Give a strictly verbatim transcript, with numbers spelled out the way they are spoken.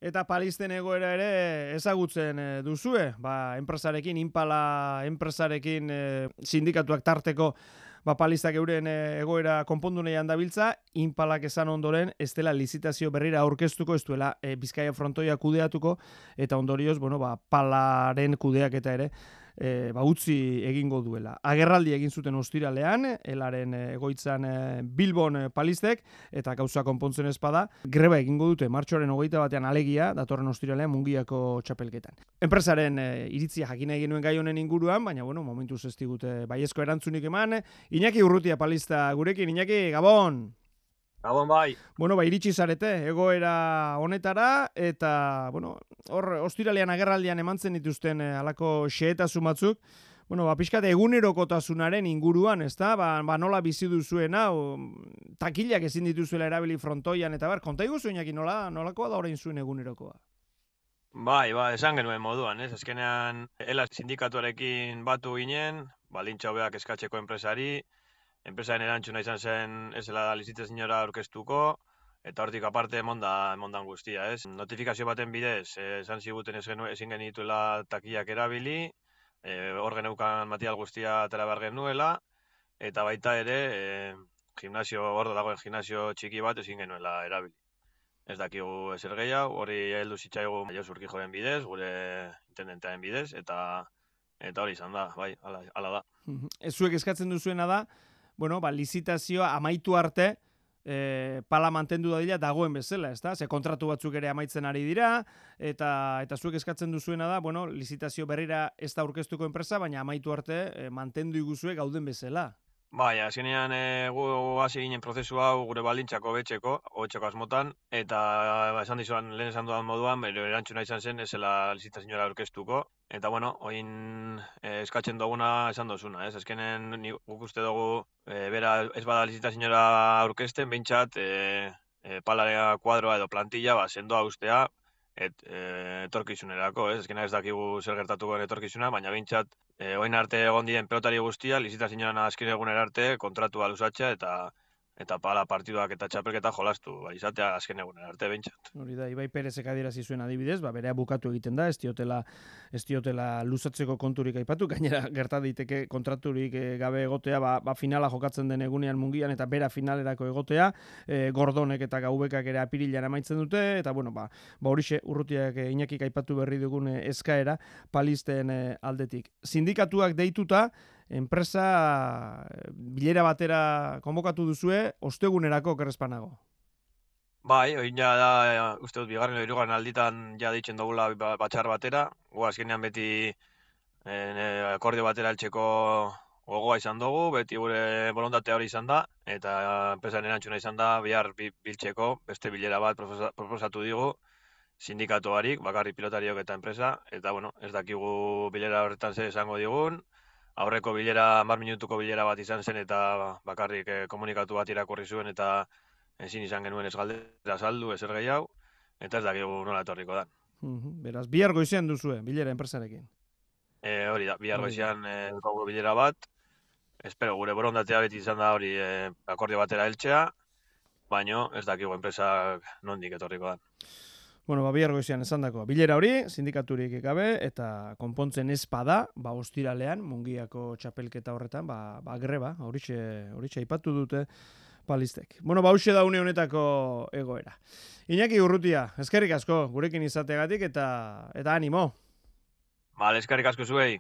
Eta palisten egoera ere ezagutzen eh, duzue, ba, enpresarekin, Impala enpresarekin eh, sindikatuak tarteko ba, palistak euren eh, egoera konpondu nahian dabiltza, Impalak esan ondoren ez dela lizitazio berrira aurkeztuko, ez duela eh, Bizkaia frontoia kudeatuko, eta ondorioz, bueno, ba, palaren kudeak eta ere, E, ba, utzi egingo duela. Agerraldi egin zuten ostiralean, elaren egoitzan e, Bilbon e, palistek, eta gauza konpontzen ezpada, greba egingo dute martxoaren hogeita batean alegia, datorren ostiralean Mungiako txapelketan. Enpresaren e, iritzia jakina egin nuen gai honen inguruan, baina, bueno, momentuz ez digute baiezko erantzunik eman. Iñaki Urrutia palista gurekin, Iñaki, Gabon! Gabon bai. Bueno, ba, iritsi zarete, egoera honetara, eta, bueno, hor, ostiralean agerraldian emantzen dituzten eh, alako xehetasun batzuk, bueno, ba, pixkat egunerokotasunaren inguruan, ezta? Ba, ba, nola bizi duzuen hau, takilak ezin dituzuela erabili frontoian, eta bar, konta iguzu, Iñaki, nola, nolakoa da orain zuen egunerokoa? Bai, ba, esan genuen moduan, ez? Azkenean, ela sindikatuarekin batu ginen, baldintza hobeak eskatzeko enpresari, enpresaren erantzuna izan zen ez dela lizitaziora aurkeztuko, eta hortik aparte emonda, emondan guztia, ez? Notifikazio baten bidez, eh, esan ziguten ez genuen, ezin genituela takiak erabili, eh, hor geneukan material guztia atera behar genuela, eta baita ere, eh, gimnasio, hor dagoen gimnasio txiki bat ezin genuela erabili. Ez dakigu ezer gehiago, hori heldu zitzaigu Jos Urkijoren bidez, gure intendentearen bidez, eta eta hori izan da, bai, hala, hala da. Ez zuek eskatzen duzuena da, bueno, ba, lizitazioa amaitu arte, e, pala mantendu dadila dagoen bezala, ezta? Ze kontratu batzuk ere amaitzen ari dira, eta eta zuek eskatzen duzuena da, bueno, lizitazio berrira ez da aurkeztuko enpresa, baina amaitu arte e, mantendu iguzue gauden bezala. Bai, azkenean e, gu hasi ginen prozesu hau gure baldintzako hobetzeko, hobetzeko asmotan, eta ba, esan dizuan, lehen esan dudan moduan, bere erantzuna izan zen, ez zela lizitazioa aurkeztuko. Eta bueno, oin e, eskatzen duguna esan dozuna, ez? Azkenen guk uste dugu e, bera ez bada lizitazioa aurkezten, behintzat e, e, palarea kuadroa edo plantilla, ba, sendoa ustea, et, e, etorkizunerako, ez? Azkenean ez dakigu zer gertatuko etorkizuna, baina behintzat e, oin arte egon diren pelotari guztia, lizitazioan azken eguner arte kontratua luzatzea eta eta pala partiduak eta txapelketa jolastu, ba, izatea azken egunen arte behintzat. Hori da, Ibai Perezek adierazi zuen adibidez, ba, berea bukatu egiten da, ez diotela, ez diotela luzatzeko konturik aipatu, gainera gerta daiteke kontraturik gabe egotea, ba, ba finala jokatzen den egunean Mungian, eta bera finalerako egotea, e, Gordonek eta Gaubekak ere apirilan amaitzen dute, eta bueno, ba, ba horixe Urrutiak e, Iñakik aipatu berri dugun e, eskaera palisten e, aldetik. Sindikatuak deituta, enpresa bilera batera konbokatu duzue, ostegunerako kerrezpanago. Bai, oin ja da, uste dut, bigarren edo hirugarren alditan ja deitzen dugula batxar batera, gu azkenean beti eh, akordio batera heltzeko gogoa izan dugu, beti gure bolontatea hori izan da, eta enpresaren erantzuna izan da, bihar biltzeko beste bilera bat proposatu digu, sindikatuarik, bakarrik pilotariok eta enpresa, eta bueno, ez dakigu bilera horretan zer esango digun, aurreko bilera, hamar minutuko bilera bat izan zen eta bakarrik eh, komunikatu bat irakurri zuen eta ezin izan genuen ez galdera saldu, ezer gehiago, eta ez dakigu nola etorriko da. Beraz, bihar goizean duzue, bilera enpresarekin. E, hori da, bihar goizean e, bilera bat, espero gure borondatea beti izan da hori e, akordio batera heltzea, baino ez dakigu enpresak nondik etorriko da. Bueno, ba, bihar goizean esandako bilera hori, sindikaturik gabe, eta konpontzen ez bada, ba, ostiralean, Mungiako txapelketa horretan, ba, ba greba, horixe, horixe aipatu dute palistek. Bueno, ba, hauxe da une honetako egoera. Iñaki Urrutia, eskerrik asko, gurekin izategatik, eta, eta animo. Bale, eskerrik asko zuei.